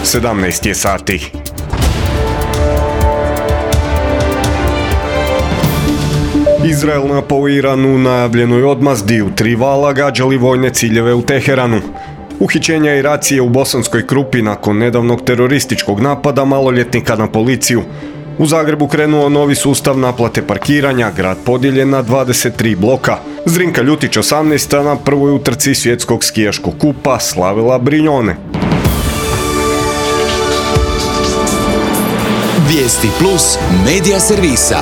17 je sati. Izrael napao Iran u najavljenoj odmazdi u 3 vala gađali vojne ciljeve u Teheranu. Uhićenja i racije u Bosanskoj Krupi nakon nedavnog terorističkog napada maloljetnika na policiju. U Zagrebu krenuo novi sustav naplate parkiranja, grad podijeljen na 23 bloka. Zrinka Ljutić 18. na prvoj utrci svjetskog skijaškog kupa slavila Brignone. Vijesti plus medija servisa.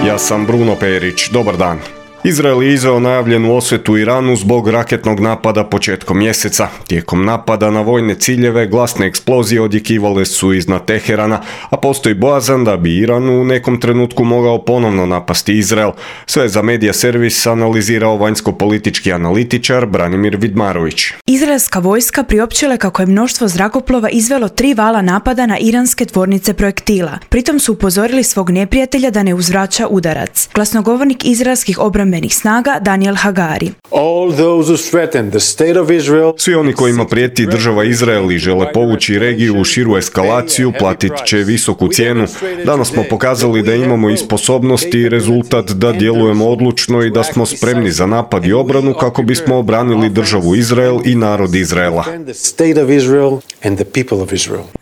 Ja sam Bruno Perić, dobar dan. Izrael je izveo najavljenu osvetu Iranu zbog raketnog napada početkom mjeseca. Tijekom napada na vojne ciljeve glasne eksplozije odjekivale su iznad Teherana, a postoji bojazan da bi Iran u nekom trenutku mogao ponovno napasti Izrael. Sve za Medija servis analizirao vanjsko-politički analitičar Branimir Vidmarović. Izraelska vojska priopćila kako je mnoštvo zrakoplova izvelo 3 vala napada na iranske tvornice projektila. Pritom su upozorili svog neprijatelja da ne uzvraća udarac. Glasnogovornik izraelskih obrambenih snaga Daniel Hagari. Svi oni kojima prijeti država Izrael i žele povući regiju u širu eskalaciju platit će visoku cijenu. Danas smo pokazali da imamo i sposobnosti i rezultat da djelujemo odlučno i da smo spremni za napad i obranu kako bismo obranili državu Izrael i narod Izraela.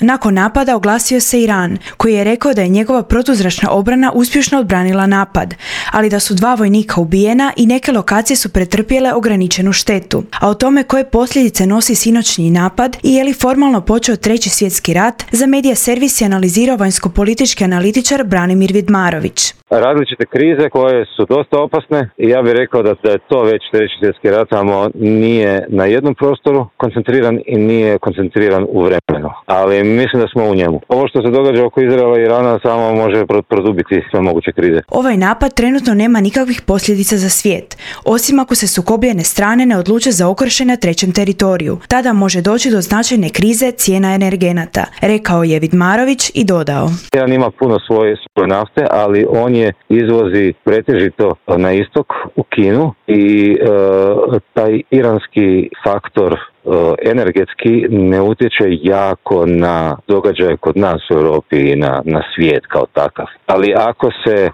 Nakon napada oglasio se Iran, koji je rekao da je njegova protuzračna obrana uspješno odbranila napad, ali da su 2 vojnika ubijena i neke lokacije su pretrpjele ograničenu štetu. A o tome koje posljedice nosi sinoćni napad i je li formalno počeo 3. svjetski rat, za Medija servis je analizirao vanjsko-politički analitičar Branimir Vidmarović. Različite krize koje su dosta opasne i ja bih rekao da je to već 3. svjetski rat, samo nije na jednom prostoru koncentriran i nije koncentriran u vremenu. Ali mislim da smo u njemu. Ovo što se događa oko Izraela i Irana samo može produbiti sve moguće krize. Ovaj napad trenutno nema nikakvih posljedica za svijet, osim ako se sukobljene strane ne odluče za okršaj na trećem teritoriju. Tada može doći do značajne krize cijena energenata, rekao je Vidmarović i dodao. Iran ima puno svoje nafte, ali on je izvozi pretežito na istok u Kinu i taj iranski faktor energetski ne utječe jako na događaje kod nas u Europi i na svijet kao takav. Ali ako se,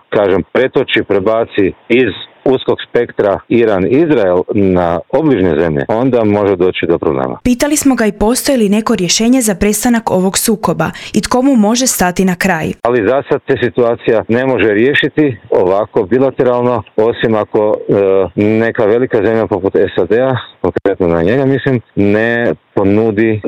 prebaci iz uskog spektra Iran-Izrael na obližnje zemlje, onda može doći do problema. Pitali smo ga i postoji li neko rješenje za prestanak ovog sukoba i tko mu može stati na kraj. Ali za sad se situacija ne može riješiti ovako bilateralno, osim ako neka velika zemlja poput SAD-a, konkretno na njega mislim, ne ponudi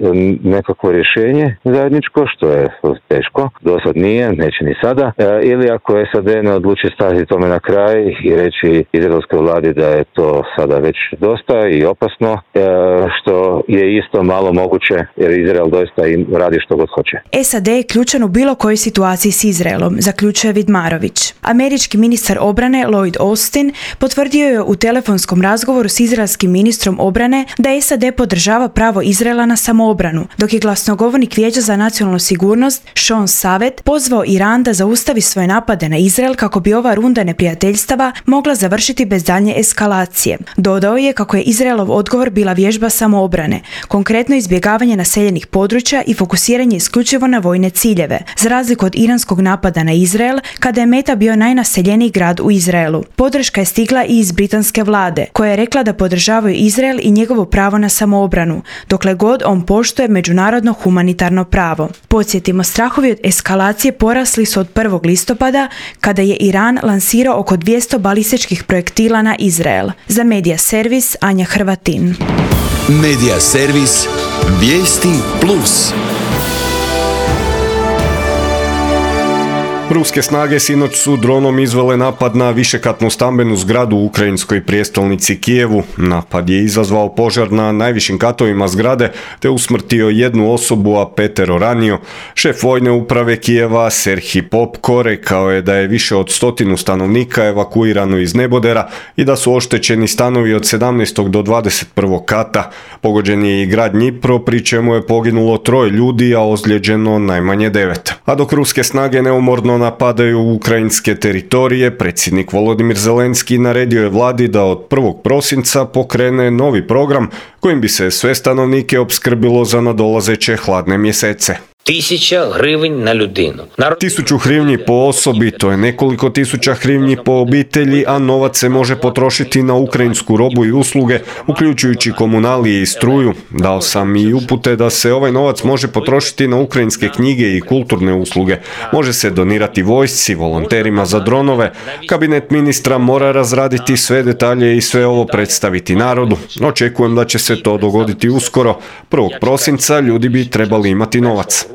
nekakvo rješenje zajedničko, što je teško, do sad nije, neće ni sada, ili ako SAD ne odluči stati tome na kraj i reći izraelskoj vladi da je to sada već dosta i opasno, što je isto malo moguće jer Izrael doista im radi što god hoće. SAD je ključan u bilo kojoj situaciji s Izraelom, zaključuje Vidmarović. Američki ministar obrane Lloyd Austin potvrdio je u telefonskom razgovoru s izraelskim ministrom obrane da SAD podržava pravo Izraela na samoobranu, dok je glasnogovornik Vijeća za nacionalnu sigurnost Sean Savet pozvao Iran da zaustavi svoje napade na Izrael kako bi ova runda neprijateljstava mogla završiti bez daljnje eskalacije. Dodao je kako je Izraelov odgovor bila vježba samoobrane, konkretno izbjegavanje naseljenih područja i fokusiranje isključivo na vojne ciljeve, za razliku od iranskog napada na Izrael, kada je meta bio najnaseljeniji grad u Izraelu. Podrška je stigla i iz britanske vlade, koja je rekla da podržavaju Izrael i njegovo pravo na samoobranu, dokle god on poštuje međunarodno humanitarno pravo. Podsjetimo, strahovi od eskalacije porasli su od 1. listopada, kada je Iran lansirao oko 200 balističkih projektila na Izrael. Za Medija servis Anja Hrvatin. Medija servis Vijesti plus. Ruske snage sinoć su dronom izvele napad na višekatnu stambenu zgradu u ukrajinskoj prijestolnici Kijevu. Napad je izazvao požar na najvišim katovima zgrade te usmrtio 1 osobu, a 5 ranio. Šef vojne uprave Kijeva Serhij Popko rekao je da je više od 100 stanovnika evakuirano iz nebodera i da su oštećeni stanovi od 17. do 21. kata. Pogođen je i grad Dnipro, pri čemu je poginulo 3 ljudi, a ozlijeđeno najmanje 9. A dok ruske snage neumorno napadaju ukrajinske teritorije, predsjednik Volodimir Zelenski naredio je vladi da od 1. prosinca pokrene novi program kojim bi se sve stanovnike opskrbilo za nadolazeće hladne mjesece. 1000 hryvnji na ljudinu. 1000 hryvnji po osobi, to je nekoliko tisuća hryvnji po obitelji, a novac se može potrošiti na ukrajinsku robu i usluge, uključujući komunalije i struju. Dao sam i upute da se ovaj novac može potrošiti na ukrajinske knjige i kulturne usluge. Može se donirati vojsci, volonterima za dronove. Kabinet ministra mora razraditi sve detalje i sve ovo predstaviti narodu. Očekujem da će se to dogoditi uskoro. 1. prosinca ljudi bi trebali imati novac.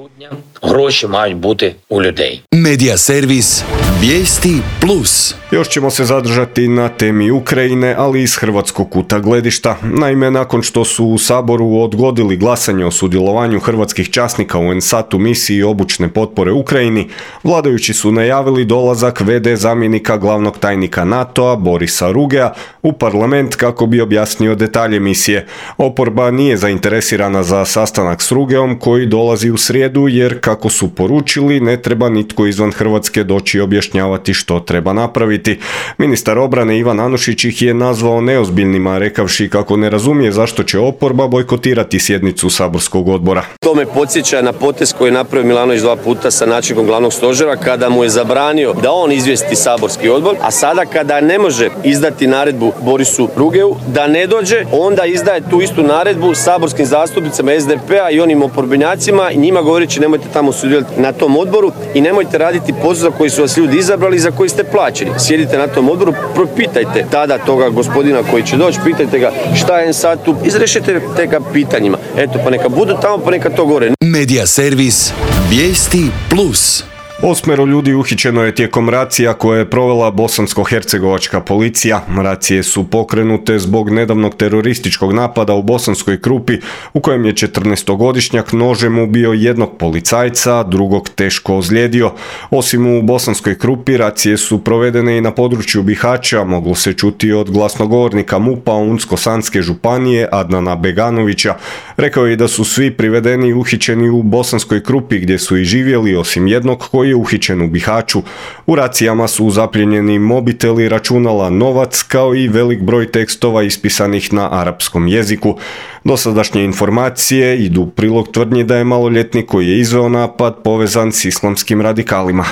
Гроші мають бути у людей. Medija servis Vijesti Plus. Još ćemo se zadržati na temi Ukrajine, ali iz hrvatskog kuta gledišta. Naime, nakon što su u Saboru odgodili glasanje o sudjelovanju hrvatskih časnika u NSAT-u misiji obučne potpore Ukrajini, vladajući su najavili dolazak VD zamjenika glavnog tajnika NATO-a Borisa Rugea u parlament kako bi objasnio detalje misije. Oporba nije zainteresirana za sastanak s Rugeom koji dolazi u srijedu jer, kako su poručili, ne treba nitko izvan Hrvatske doći objašnjavati što treba napraviti. Ministar obrane Ivan Anušić ih je nazvao neozbiljnima, rekavši kako ne razumije zašto će oporba bojkotirati sjednicu saborskog odbora. To me podsjeća na potez koji je napravio Milanović 2 puta sa načelnikom glavnog stožera kada mu je zabranio da on izvijesti saborski odbor, a sada kada ne može izdati naredbu Borisu Rugeu da ne dođe, onda izdaje tu istu naredbu saborskim zastupnicama SDP-a i onim oporbenjacima i njima govoreći nemojte tamo sudjelovati na tom odboru i nemojte raditi posao za koji su vas ljudi izabrali i za koji ste plaćeni. Sjedite na tom odboru, propitajte tada toga gospodina koji će doći, pitajte ga šta je sad tu, izrešite te ga pitanjima. Eto, pa neka budu tamo, pa neka to gore. Medija servis Vijesti Plus. 8 ljudi uhićeno je tijekom racija koje je provela bosansko-hercegovačka policija. Racije su pokrenute zbog nedavnog terorističkog napada u Bosanskoj Krupi u kojem je 14-godišnjak nožem ubio jednog policajca, drugog teško ozlijedio. Osim u Bosanskoj Krupi, racije su provedene i na području Bihaća, moglo se čuti od glasnogovornika MUP-a Unsko-Sanske županije Adnana Beganovića. Rekao je da su svi privedeni i uhićeni u Bosanskoj Krupi gdje su i živjeli, osim jednog koji je uhićen u Bihaću. U racijama su zapljenjeni mobiteli, računala, novac, kao i velik broj tekstova ispisanih na arapskom jeziku. Dosadašnje informacije idu u prilog tvrdnji da je maloljetnik koji je izveo napad povezan s islamskim radikalima.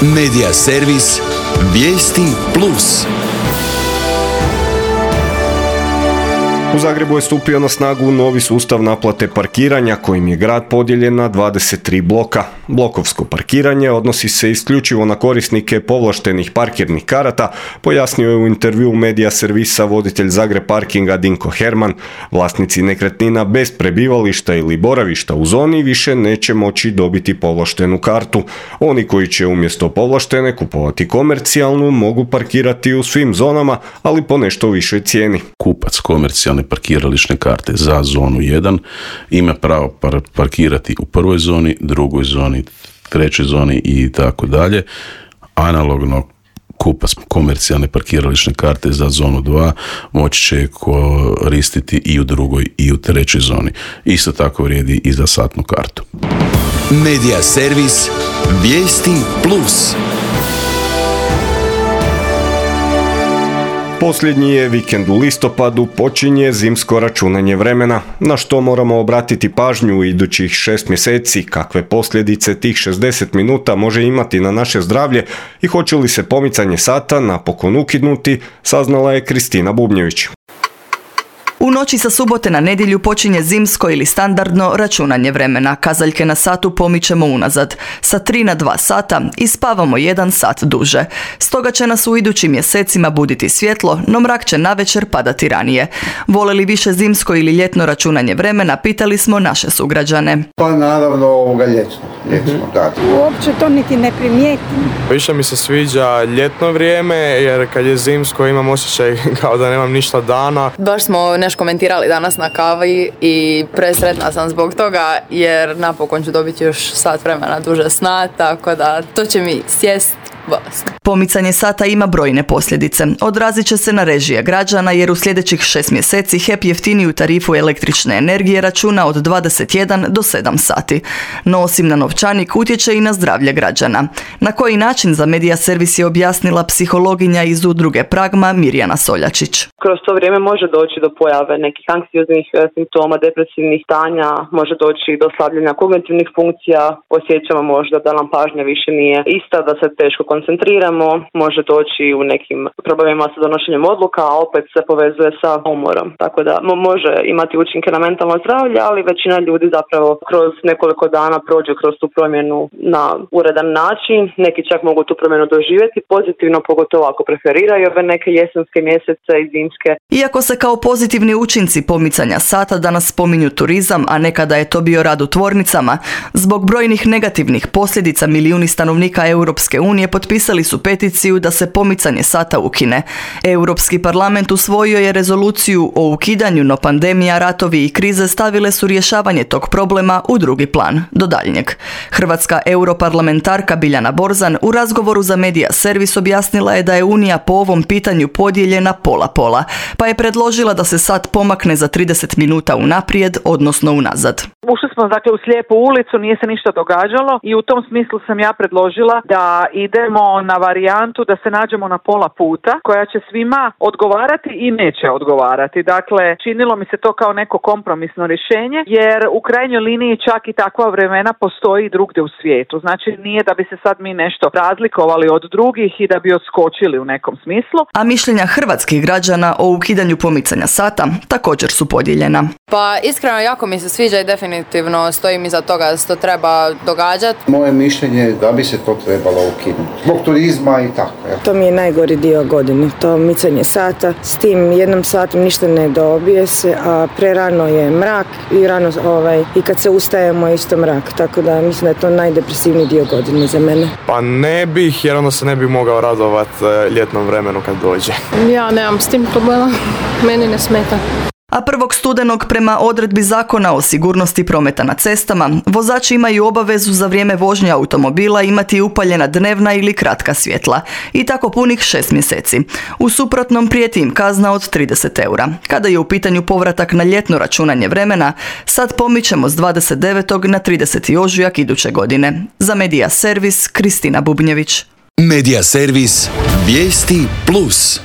Medija servis Vijesti Plus. U Zagrebu je stupio na snagu novi sustav naplate parkiranja kojim je grad podijeljen na 23 bloka. Blokovsko parkiranje odnosi se isključivo na korisnike povlaštenih parkirnih karata, pojasnio je u intervjuu Medija servisa voditelj Zagreb parkinga Dinko Herman. Vlasnici nekretnina bez prebivališta ili boravišta u zoni više neće moći dobiti povlaštenu kartu. Oni koji će umjesto povlaštene kupovati komercijalnu mogu parkirati u svim zonama, ali po nešto višoj cijeni. Kupac komercijalne parkirališne karte za zonu 1 ima pravo parkirati u prvoj zoni, drugoj zoni, trećoj zoni i tako dalje. Analogno kupac komercijalne parkirališne karte za zonu 2 moći će koristiti i u drugoj i u trećoj zoni. Isto tako vrijedi i za satnu kartu. Medija servis Vijesti Plus. Posljednji je vikend u listopadu, počinje zimsko računanje vremena. Na što moramo obratiti pažnju u idućih 6 mjeseci, kakve posljedice tih 60 minuta može imati na naše zdravlje i hoće li se pomicanje sata napokon ukinuti, saznala je Kristina Bubnjević. U noći sa subote na nedjelju počinje zimsko ili standardno računanje vremena. Kazaljke na satu pomičemo unazad. Sa 3 na 2 sata i spavamo 1 sat duže. Stoga će nas u idućim mjesecima buditi svjetlo, no mrak će navečer padati ranije. Vole li više zimsko ili ljetno računanje vremena, pitali smo naše sugrađane. Pa naravno ljetno, da. Uopće to niti ne primijetim. Više mi se sviđa ljetno vrijeme, jer kad je zimsko imam osjećaj kao da nemam ništa dana. Baš smo nešto komentirali danas na kavi i presretna sam zbog toga, jer napokon ću dobiti još sat vremena duže sna, tako da to će mi sjest bolesni. Pomicanje sata ima brojne posljedice. Odrazit će se na režije građana jer u sljedećih 6 mjeseci HEP jeftiniju tarifu električne energije računa od 21 do 7 sati. No osim na novčanik utječe i na zdravlje građana. Na koji način za Medija Servis je objasnila psihologinja iz udruge Pragma Mirjana Soljačić. Kroz to vrijeme može doći do pojave nekih anksioznih simptoma, depresivnih stanja, može doći do slabljenja kognitivnih funkcija, osjećamo možda da nam pažnja više nije ista, da se teško koncentriramo, može doći u nekim problemima sa donošenjem odluka, a opet se povezuje sa umorom. Tako da može imati učinke na mentalno zdravlje, ali većina ljudi zapravo kroz nekoliko dana prođe kroz tu promjenu na uredan način. Neki čak mogu tu promjenu doživjeti pozitivno, pogotovo ako preferiraju ove neke jesenske mjesece i zimske. Iako se kao pozitivni učinci pomicanja sata danas spominju turizam, a nekada je to bio rad u tvornicama, zbog brojnih negativnih posljedica milijuni stanovnika Europske unije potpisali su peticiju da se pomicanje sata ukine. Europski parlament usvojio je rezoluciju o ukidanju, no pandemija, ratovi i krize stavile su rješavanje tog problema u drugi plan, do daljnjeg. Hrvatska europarlamentarka Biljana Borzan u razgovoru za Medija Servis objasnila je da je Unija po ovom pitanju podijeljena pola-pola, pa je predložila da se sat pomakne za 30 minuta unaprijed, odnosno unazad. Ušli smo dakle u slijepu ulicu, nije se ništa događalo i u tom smislu sam ja predložila da idemo na varijantu da se nađemo na pola puta koja će svima odgovarati i neće odgovarati. Dakle, činilo mi se to kao neko kompromisno rješenje jer u krajnjoj liniji čak i takva vremena postoji i drugdje u svijetu. Znači nije da bi se sad mi nešto razlikovali od drugih i da bi odskočili u nekom smislu. A mišljenja hrvatskih građana o ukidanju pomicanja sata također su podijeljena. Pa iskreno jako mi se sviđa i definitivno stojim iza toga da se to treba događati. Moje mišljenje je da bi se to trebalo ukinuti. Zbog turizma i tako. Ja. To mi je najgori dio godine, to micanje sata. S tim jednom satom ništa ne dobije se, a prerano je mrak i rano i kad se ustajemo isto mrak. Tako da mislim da je to najdepresivniji dio godine za mene. Pa ne bih, jer onda se ne bih mogao radovati ljetnom vremenu kad dođe. Ja nemam s tim problema, meni ne smeta. A 1. studenog prema odredbi Zakona o sigurnosti prometa na cestama, vozači imaju obavezu za vrijeme vožnje automobila imati upaljena dnevna ili kratka svjetla i tako punih 6 mjeseci. U suprotnom prijeti im kazna od 30 eura. Kada je u pitanju povratak na ljetno računanje vremena, sad pomičemo s 29. na 30. ožujak iduće godine. Za Medija Servis, Kristina Bubnjević. Medija Servis, vijesti plus.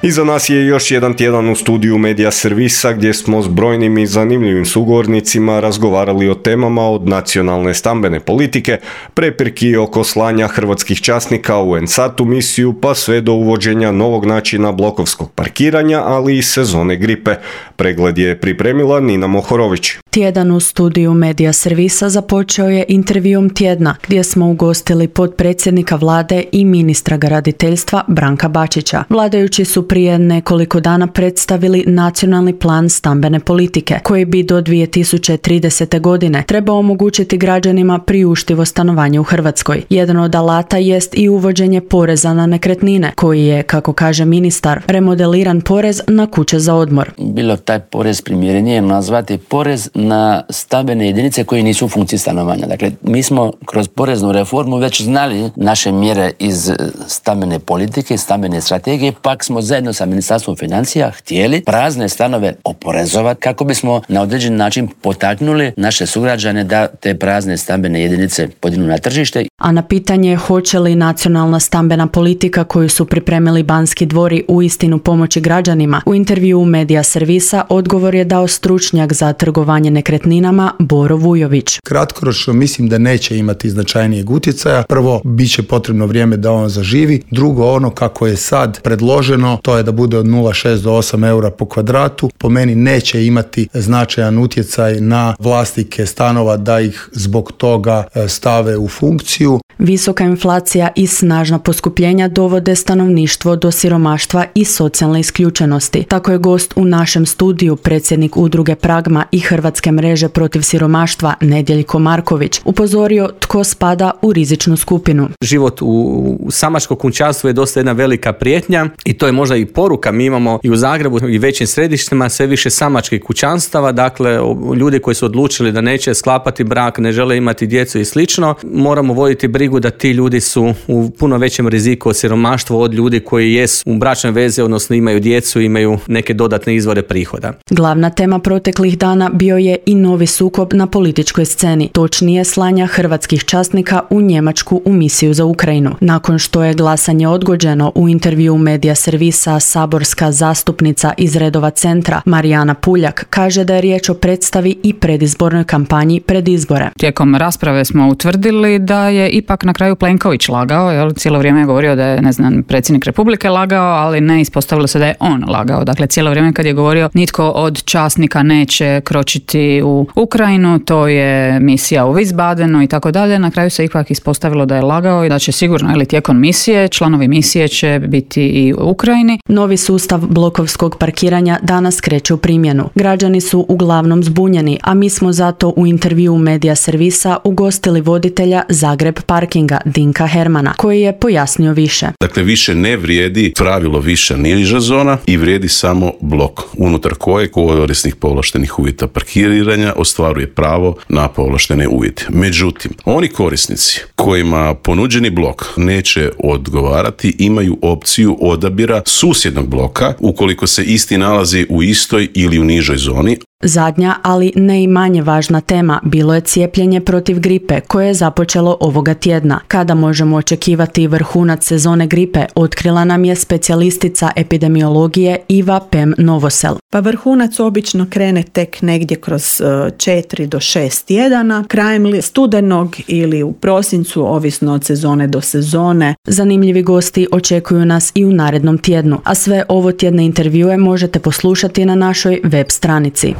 Iza nas je još jedan tjedan u studiju Medija Servisa gdje smo s brojnim i zanimljivim sugovornicima razgovarali o temama od nacionalne stambene politike, prepirki oko slanja hrvatskih časnika u NSAT-u misiju pa sve do uvođenja novog načina blokovskog parkiranja, ali i sezone gripe. Pregled je pripremila Nina Mohorović. Tjedan u studiju Medija Servisa započeo je intervjuom tjedna gdje smo ugostili potpredsjednika vlade i ministra graditeljstva Branka Bačića. Vladajući su prije nekoliko dana predstavili nacionalni plan stambene politike koji bi do 2030. godine trebao omogućiti građanima priuštivo stanovanje u Hrvatskoj. Jedan od alata jest i uvođenje poreza na nekretnine koji je, kako kaže ministar, remodeliran porez na kuće za odmor. Bilo taj porez primjerenije nazvati porez na stambene jedinice koje nisu u funkciji stanovanja. Dakle, mi smo kroz poreznu reformu već znali naše mjere iz stambene politike, stambene strategije, pak smo zajedno sa Ministarstvom financija htjeli prazne stanove oporezovati kako bismo na određen način potaknuli naše sugrađane da te prazne stambene jedinice podignu na tržište. A na pitanje hoće li nacionalna stambena politika koju su pripremili Banski dvori uistinu pomoći građanima, u intervjuu Medija Servisa odgovor je dao stručnjak za trgovanje nekretninama Boro Vujović. Kratkoročno mislim da neće imati značajnijeg utjecaja. Prvo, bit će potrebno vrijeme da on zaživi. Drugo, ono kako je sad predloženo, to je da bude od 0,6 do 8 eura po kvadratu. Po meni neće imati značajan utjecaj na vlasnike stanova da ih zbog toga stave u funkciju. Visoka inflacija i snažna poskupljenja dovode stanovništvo do siromaštva i socijalne isključenosti. Tako je gost u našem studiju, predsjednik udruge Pragma i Hrvatske mreže protiv siromaštva Nedjeljko Marković, upozorio tko spada u rizičnu skupinu. Život u samačkom kućanstvu je dosta jedna velika prijetnja i to je možda i poruka. Mi imamo i u Zagrebu i većim središtima sve više samačkih kućanstava, dakle ljudi koji su odlučili da neće sklapati brak, ne žele imati djecu i slično. Moramo voditi voditi brigu da ti ljudi su u puno većem riziku od siromaštva od ljudi koji jesu u bračnoj vezi, odnosno imaju djecu, imaju neke dodatne izvore prihoda. Glavna tema proteklih dana bio je i novi sukob na političkoj sceni, točnije slanja hrvatskih časnika u Njemačku u misiju za Ukrajinu. Nakon što je glasanje odgođeno, u intervju medija servisa saborska zastupnica iz redova Centra Marijana Puljak kaže da je riječ o predstavi i predizbornoj kampanji pred izbore. Tijekom rasprave smo utvrdili da je ipak na kraju Plenković lagao, jel? Cijelo vrijeme je govorio da je, predsjednik Republike lagao, ali ne, ispostavilo se da je on lagao. Dakle, cijelo vrijeme kad je govorio nitko od časnika neće kročiti u Ukrajinu, to je misija u Wiesbadenu i tako dalje. Na kraju se ipak ispostavilo da je lagao i da će sigurno, ili tijekom misije, članovi misije će biti i u Ukrajini. Novi sustav blokovskog parkiranja danas kreće u primjenu. Građani su uglavnom zbunjeni, a mi smo zato u intervju medija servisa ugostili voditelja Zagreb parkinga Dinka Hermana, koji je pojasnio više. Dakle, više ne vrijedi pravilo više niža zona i vrijedi samo blok, unutar kojeg korisnik povlaštenih uvjeta parkiranja ostvaruje pravo na povlaštene uvjete. Međutim, oni korisnici kojima ponuđeni blok neće odgovarati imaju opciju odabira susjednog bloka ukoliko se isti nalazi u istoj ili u nižoj zoni. Zadnja, ali ne i manje važna tema, bilo je cijepljenje protiv gripe koje je započelo ovoga tjedna. Kada možemo očekivati vrhunac sezone gripe, otkrila nam je specijalistica epidemiologije Iva Pem Novosel. Pa vrhunac obično krene tek negdje kroz 4 do 6 tjedana, krajem studenog ili u prosincu, ovisno od sezone do sezone. Zanimljivi gosti očekuju nas i u narednom tjednu, a sve ovo tjedne intervjue možete poslušati na našoj web stranici.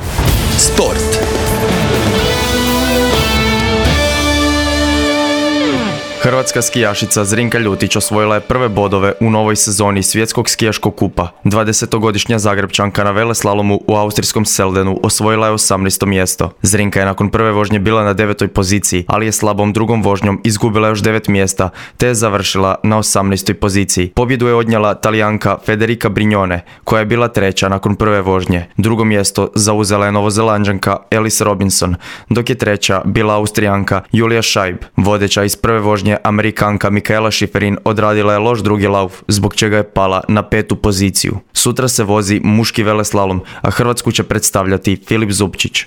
Sport. Hrvatska skijašica Zrinka Ljutić osvojila je prve bodove u novoj sezoni Svjetskog skijaškog kupa. 20-godišnja Zagrebčanka na veleslalomu u austrijskom Seldenu osvojila je 18. mjesto. Zrinka je nakon prve vožnje bila na 9. poziciji, ali je slabom drugom vožnjom izgubila još 9 mjesta, te je završila na 18. poziciji. Pobjedu je odnijela Talijanka Federica Brignone, koja je bila treća nakon prve vožnje. Drugo mjesto zauzela je Novozelanđanka Alice Robinson, dok je treća bila Austrijanka Julia Scheib. Vodeća iz prve vožnje Amerikanka Mikaela Šiferin odradila je loš drugi lauf, zbog čega je pala na 5. poziciju. Sutra se vozi muški veleslalom, a Hrvatsku će predstavljati Filip Zupčić.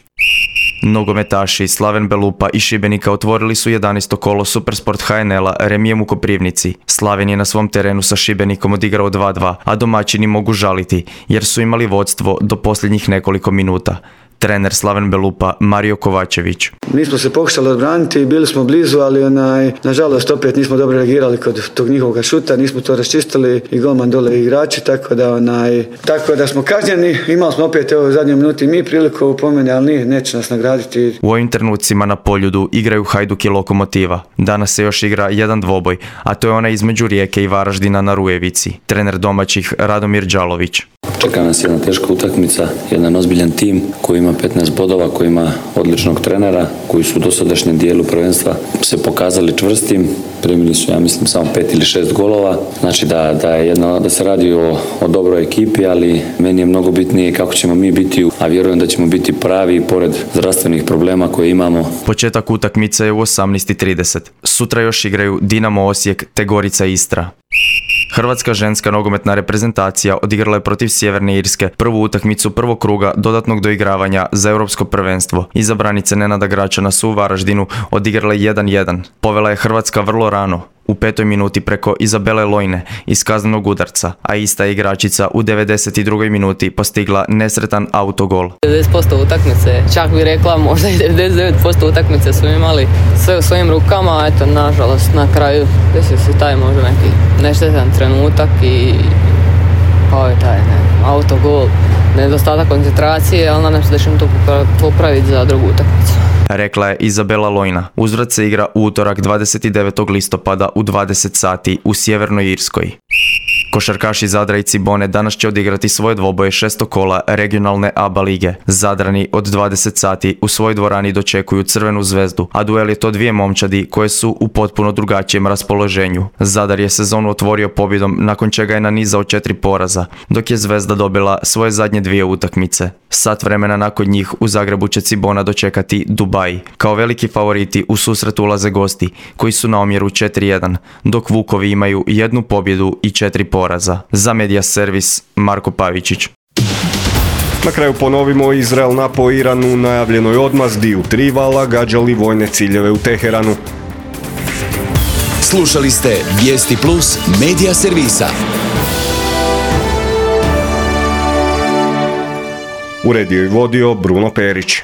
Nogometaši Slaven Belupa i Šibenika otvorili su 11. kolo Supersport HNL-a remijem u Koprivnici. Slaven je na svom terenu sa Šibenikom odigrao 2-2, a domaćini mogu žaliti jer su imali vodstvo do posljednjih nekoliko minuta. Trener Slaven Belupa Mario Kovačević. Mi smo se pokušali odbraniti, bili smo blizu, ali nažalost opet nismo dobro reagirali kod tog njihovog šuta, nismo to raščistili i golman dole igrači, tako da smo kažnjeni. Imali smo opet u zadnjoj minuti mi priliku po meni, ali neće nas nagraditi. U ovim trenucima na Poljudu igraju Hajduk i Lokomotiva. Danas se još igra jedan dvoboj, a to je onaj između Rijeke i Varaždina na Rujevici. Trener domaćih Radomir Đalović. Čeka nas jedna teška utakmica, jedan ozbiljan tim koji ima 15 bodova, koji ima odličnog trenera, koji su u dosadašnjem dijelu prvenstva se pokazali čvrstim. Primili su, ja mislim, samo 5 ili 6 golova. Znači da se radi o dobroj ekipi, ali meni je mnogo bitnije kako ćemo mi biti, a vjerujem da ćemo biti pravi pored zdravstvenih problema koje imamo. Početak utakmice je u 18:30. Sutra još igraju Dinamo Osijek te Gorica Istra. Hrvatska ženska nogometna reprezentacija odigrala je protiv Sjeverne Irske prvu utakmicu prvog kruga dodatnog doigravanja za europsko prvenstvo. Izabranice Nenada Gračana su u Varaždinu odigrale 1-1. Povela je Hrvatska vrlo rano, u 5. minuti preko Izabele Lojne iz kaznenog udarca, a ista igračica u 92. minuti postigla nesretan autogol. 90% utakmice, čak bi rekla možda i 99% utakmice su imali sve u svojim rukama, a eto nažalost na kraju desio se taj možda neki neštetan trenutak i kao je taj autogol, nedostatak koncentracije, ali nadam se da ćemo to popraviti za drugu utakmicu. Rekla je Izabela Lojna. Uzvrat se igra u utorak 29. listopada u 20 sati u Sjevernoj Irskoj. Košarkaši Zadra i Cibone danas će odigrati svoje dvoboje 6. kola regionalne ABA lige. Zadrani od 20 sati u svojoj dvorani dočekuju Crvenu zvezdu, a duel je to dvije momčadi koje su u potpuno drugačijem raspoloženju. Zadar je sezonu otvorio pobjedom nakon čega je nanizao 4 poraza, dok je Zvezda dobila svoje zadnje 2 utakmice. Sat vremena nakon njih u Zagrebu će Cibona dočekati Dubai. Kao veliki favoriti u susret ulaze gosti koji su na omjeru 4-1, dok Vukovi imaju 1 pobjedu i 4 poraza. Za Media Servis, Marko Pavičić. Na kraju ponovimo, Izrael napao Iran u najavljenoj odmazdi u 3 vala, gađali vojne ciljeve u Teheranu. Slušali ste Vijesti Plus Media Servisa. Uredio i vodio Bruno Perić.